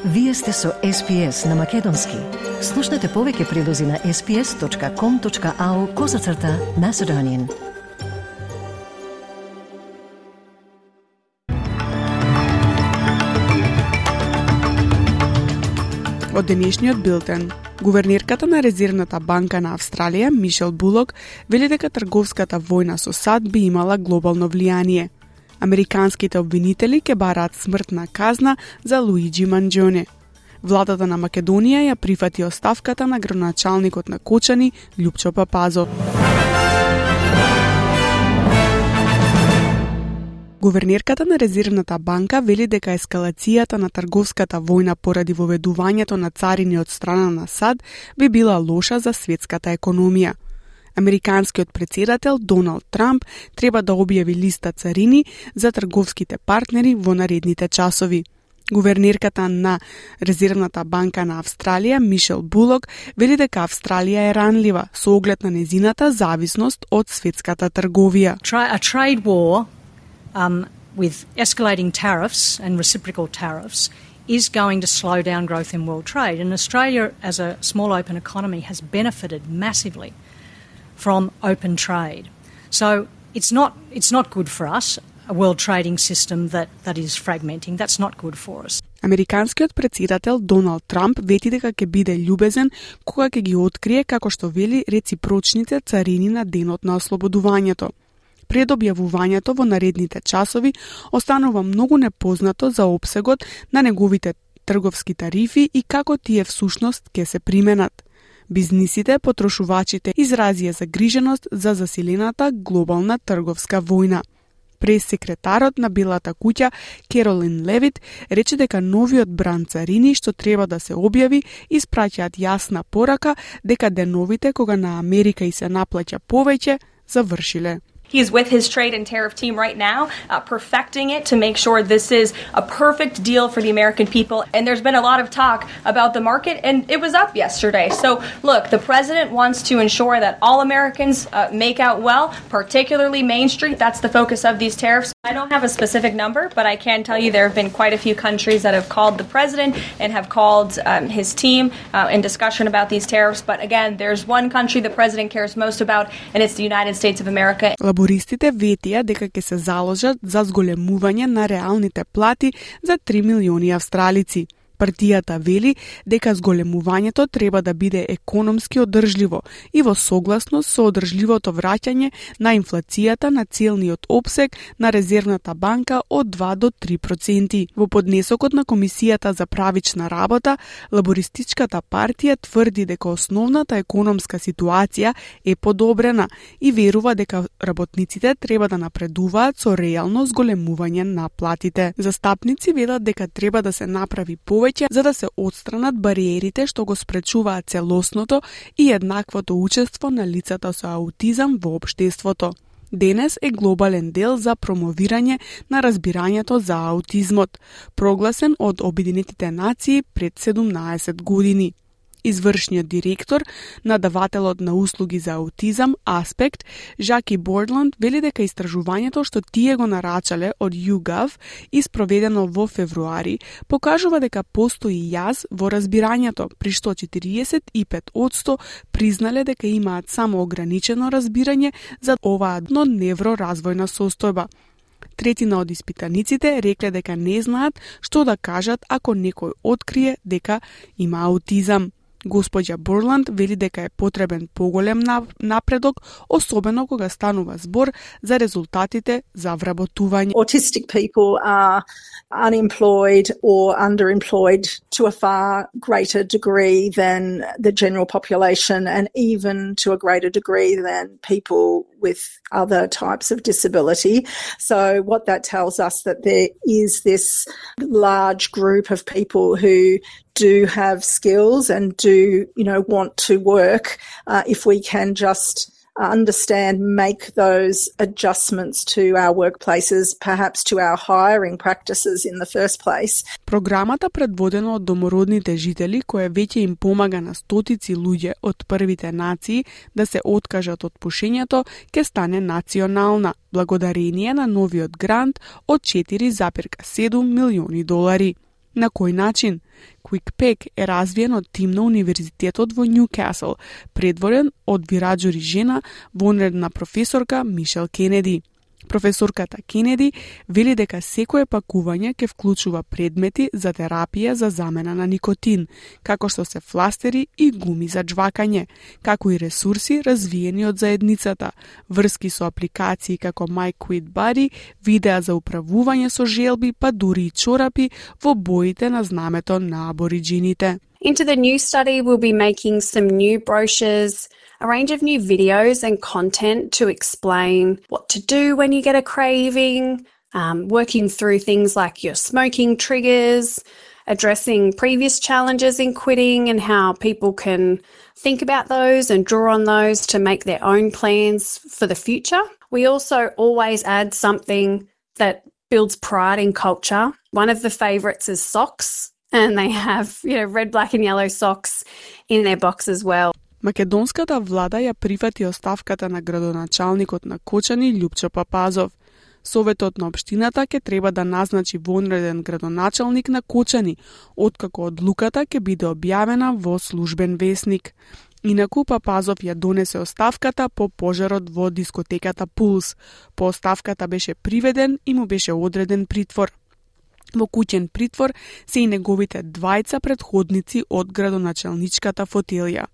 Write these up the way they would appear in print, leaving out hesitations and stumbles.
Вие сте со SPS на Македонски. Слушнете повеќе прилози на sps.com.au/Macedonian. Од денешниот билтен. Гувернерката на Резервната банка на Австралија, Мишел Булок, вели дека трговската војна со САД би имала глобално влијание. Американските обвинители ќе бараат смртна казна за Луиджи Манџоне. Владата на Македонија ја прифати оставката на градоначалникот на Кочани, Љупчо Папазов. Гувернерката на Резервната банка вели дека ескалацијата на трговската војна поради воведувањето на царини од страна на САД би била лоша за светската економија. Американскиот претседател Доналд Трамп треба да објави листа царини за трговските партнери во наредните часови. Гувернерката на Резервната банка на Австралија, Мишел Булок, вели дека Австралија е ранлива со оглед на незината зависност од светската трговија. A trade war with escalating tariffs and reciprocal tariffs is going to slow down growth in world trade. And Australia, as a small open economy, has benefited massively from open trade. So it's not good for us, a world trading system that is fragmenting. That's not good for us. Американскиот претседател Доналд Трамп вети дека ќе биде љубезен кога ќе ги открие, како што вели, реципрочните царини на денот на ослободувањето. Пред објавувањето во наредните часови останува многу непознато за опсегот на неговите трговски тарифи и како тие всушност ќе се применат. Бизнисите, потрошувачите изразија загриженост за засилената глобална трговска војна. Прес-секретарот на Белата куќа Керолин Левит рече дека новиот бранд царини што треба да се објави испраќаат јасна порака дека деновите кога на Америка и се наплаќа повеќе завршиле. He is with his trade and tariff team right now, perfecting it to make sure this is a perfect deal for the American people. And there's been a lot of talk about the market, and it was up yesterday. So, look, the president wants to ensure that all Americans make out well, particularly Main Street. That's the focus of these tariffs. I don't have a specific number, but I can tell you there have been quite a few countries that have called the president and have called his team in discussion about these tariffs. But again, there's one country the president cares most about, and it's the United States of America. Лабористите ветија дека ќе се заложат за зголемување на реалните плати за 3 милиони австралици. Партијата вели дека зголемувањето треба да биде економски одржливо и во согласност со одржливото враќање на инфлацијата на целниот опсег на Резервната банка од 2 до 3%. Во поднесокот на Комисијата за правична работа, Лабористичката партија тврди дека основната економска ситуација е подобрена и верува дека работниците треба да напредуваат со реално зголемување на платите. Застапници велат дека треба да се направи повеќе за да се отстранат бариерите што го спречуваат целосното и еднаквото учество на лицата со аутизам во општеството. Денес е глобален дел за промовирање на разбирањето за аутизмот, прогласен од Обединетите нации пред 17 години. Извршниот директор на давателот на услуги за аутизам Аспект, Жаки Бордланд, вели дека истражувањето што тие го нарачале од YouGov и спроведено во февруари, покажува дека постои јаз во разбирањето, при што 45% признале дека имаат само ограничено разбирање за оваа невроразвојна состојба. Третина од испитаниците рекле дека не знаат што да кажат ако некој открие дека има аутизам. Господја Борланд вели дека е потребен поголем напредок, особено кога станува збор за резултатите за вработување. Autistic people are unemployed or underemployed to a far greater degree than the general population, and even to a greater degree than people with other types of disability. So what that tells us that there is this large group of people who do have skills and do, want to work if we can just make those adjustments to our workplaces, perhaps to our hiring practices in the first place. Програмата предводена од домородните жители, која веќе им помага на стотици луѓе од првите нации да се откажат од пушењето, ќе стане национална, благодарение на новиот грант од $4,7 милиони. На кој начин? QuickPack е развиен од тим на Универзитетот во Нјукасл, предводен од вираџури жена, вонредна професорка Мишел Кенеди. Професорката Кенеди вели дека секое пакување ќе вклучува предмети за терапија за замена на никотин, како што се фластери и гуми за џвакање, како и ресурси развиени од заедницата, врски со апликации како My Quit Buddy, видеа за управување со желби, па дури и чорапи во боите на знамето на абориджините. Into the new study, we'll be making some new brochures, a range of new videos and content to explain what to do when you get a craving, working through things like your smoking triggers, addressing previous challenges in quitting and how people can think about those and draw on those to make their own plans for the future. We also always add something that builds pride in culture. One of the favourites is socks. And they have, red, black and yellow socks in their box as well. Македонската влада ја прифати оставката на градоначалникот на Кочани Љупчо Папазов. Советот на општината ќе треба да назначи вонреден градоначалник на Кочани, откако одлуката ќе биде објавена во службен весник. Инаку Папазов ја донесе оставката по пожарот во дискотеката Пулс. По оставката беше приведен и му беше одреден притвор. Во куќен притвор се и неговите двајца претходници од градоначалничката фотелија.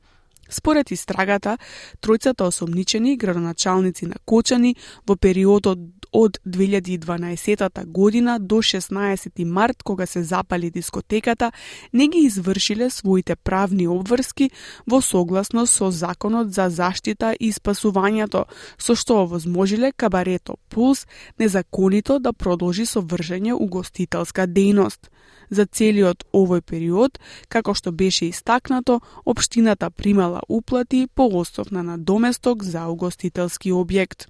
Според истрагата, тројцата осомничени градоначалници на Кочани во периодот од 2012 година до 16 март, кога се запали дискотеката, не ги извршиле своите правни обврски во согласно со Законот за заштита и спасувањето, со што овозможиле кабарето Пулс незаконито да продолжи со вршење угостителска дејност. За целиот овој период, како што беше истакнато, општината примала уплати по основ на надоместок за угостителски објект.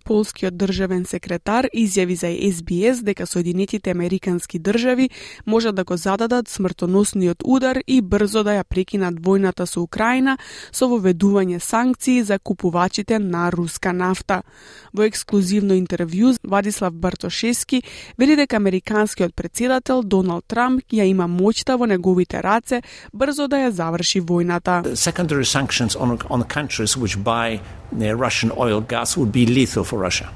Полскиот државен секретар изјави за SBS дека Соединетите Американски држави можат да го зададат смртоносниот удар и брзо да ја прекинат војната со Украина со воведување санкции за купувачите на руска нафта. Во ексклузивно интервју Владислав Бартошевски вели дека американскиот председател Доналд Трамп ја има моќта во неговите раце брзо да ја заврши војната. Secondary sanctions on countries which buy Russian oil gas would be lethal for Russia.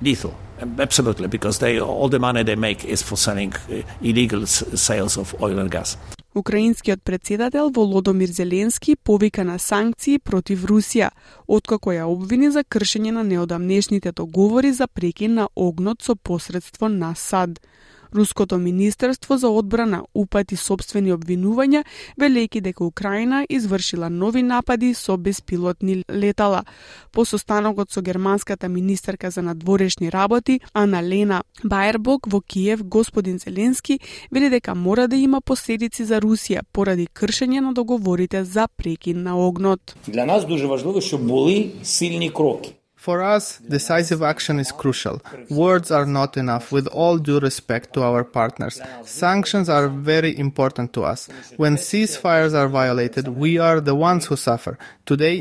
Lethal, absolutely, because all the money they make is for selling illegal sales of oil and gas. Украинскиот председател Володомир Зеленски повика на санкции против Русија, откако ја обвини за кршење на неодамнешните договори за прекин на огнот со посредство на САД. Руското министерство за одбрана упати собствени обвинувања, велејќи дека Украина извршила нови напади со беспилотни летала. По состанокот со германската министерка за надворешни работи Ана-Лена Баербок во Киев, господин Зеленски вели дека мора да има последици за Русија поради кршење на договорите за прекин на огнот. Для нас дуже важливо, щоб були сильні кроки. For us, decisive action is crucial. Words are not enough, with all due respect to our partners. Sanctions are very important to us. When ceasefires are violated, we are the ones who suffer. Today,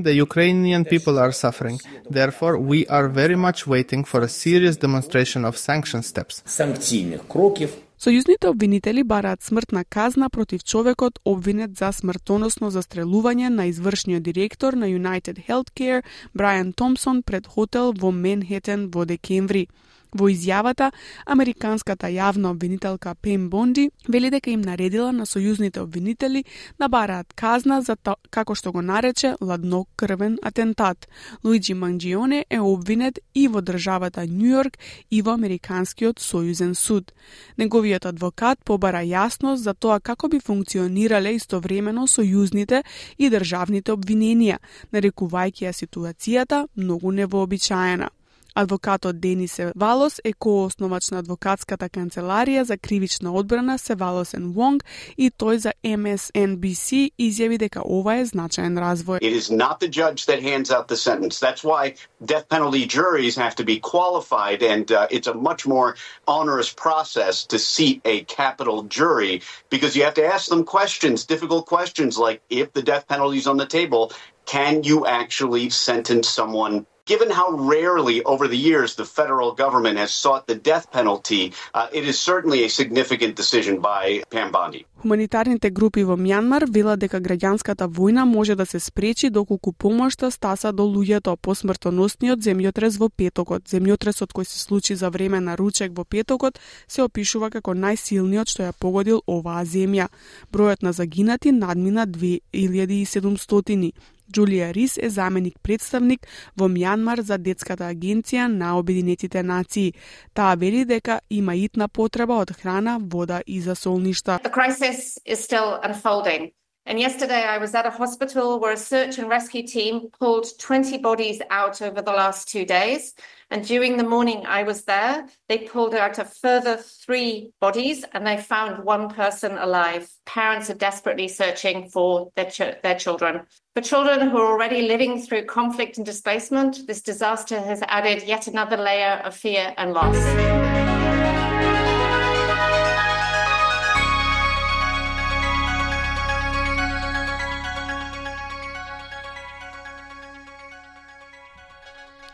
the Ukrainian people are suffering. Therefore, we are very much waiting for a serious demonstration of sanction steps. Санкційних кроків. Сојузните обвинители бараат смртна казна против човекот обвинет за смртоносно застрелување на извршниот директор на United Healthcare Брайан Томпсон пред хотел во Менхетен во декември. Во изјавата, американската јавна обвинителка Пем Бонди вели дека им наредила на сојузните обвинители да бараат казна за како што го нарече ладнокрвен атентат. Луиджи Манџионе е обвинет и во државата Њујорк и во Американскиот сојузен суд. Неговиот адвокат побара јасност за тоа како би функционирале истовремено сојузните и државните обвиненија, нарекувајќи ја ситуацијата многу невообичаена. Адвокатот Денис Севалос е коосновач на адвокатската канцеларија за кривична одбрана Севалос & Вонг и тој за MSNBC изјави дека ова е значаен развој. It is not the judge that hands out the sentence. That's why death penalty juries have to be qualified, and it's a much more onerous process to seat a capital jury because you have to ask them questions, difficult questions like if the death penalty is on the table, can you actually sentence someone Given how rarely over the years the federal government has sought the death penalty, it is certainly a significant decision by Pam Bondi. Хуманитарните групи во Мјанмар велат дека граѓанската војна може да се спречи доколку помошта стаса до луѓето по смртоносниот земјотрес во петокот. Земјотресот кој се случи за време на ручек во петокот се опишува како најсилниот што ја погодил оваа земја. Бројот на загинати надмина 2700. Джулија Рис е заменик представник во Мјанмар за детската агенција на Обединетите нации. Таа вели дека има итна потреба од храна, вода и засолништа. The crisis is still unfolding. And yesterday I was at a hospital where a search and rescue team pulled 20 bodies out over the last 2 days. And during the morning I was there, they pulled out a further 3 bodies and they found 1 person alive. Parents are desperately searching for their children. For children who are already living through conflict and displacement, this disaster has added yet another layer of fear and loss.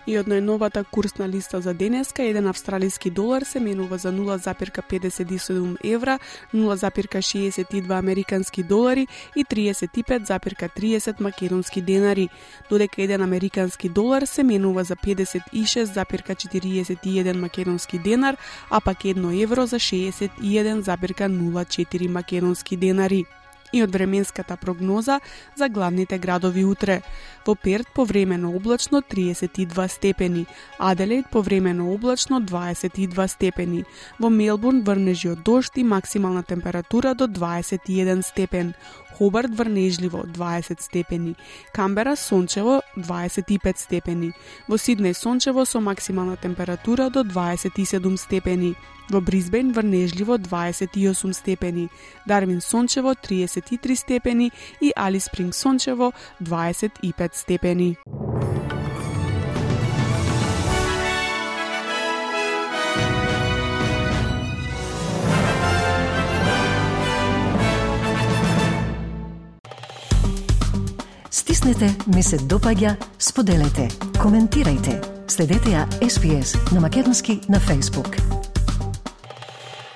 И од најновата курсна листа за денеска, 1 австралиски долар се менува за 0,57 евра, 0,62 американски долари и 35,30 македонски денари, додека 1 американски долар се менува за 56,41 македонски денар, а пак 1 евро за 61,04 македонски денари. И од временската прогноза за главните градови утре. Во Перт повремено облачно 32 степени, Аделаид повремено облачно 22 степени, во Мелбурн врнежи од дожд и максимална температура до 21 степен, Хобарт врнежливо 20 степени, Камбера сончево 25 степени, во Сиднеј сончево со максимална температура до 27 степени, во Брисбен врнежливо 28 степени, Дарвин сончево 33 степени и Алис Спринг сончево 25 степени. Стиснете, ми се допаѓа, споделете, коментирајте. Следете ја SPS на Македонски на Facebook.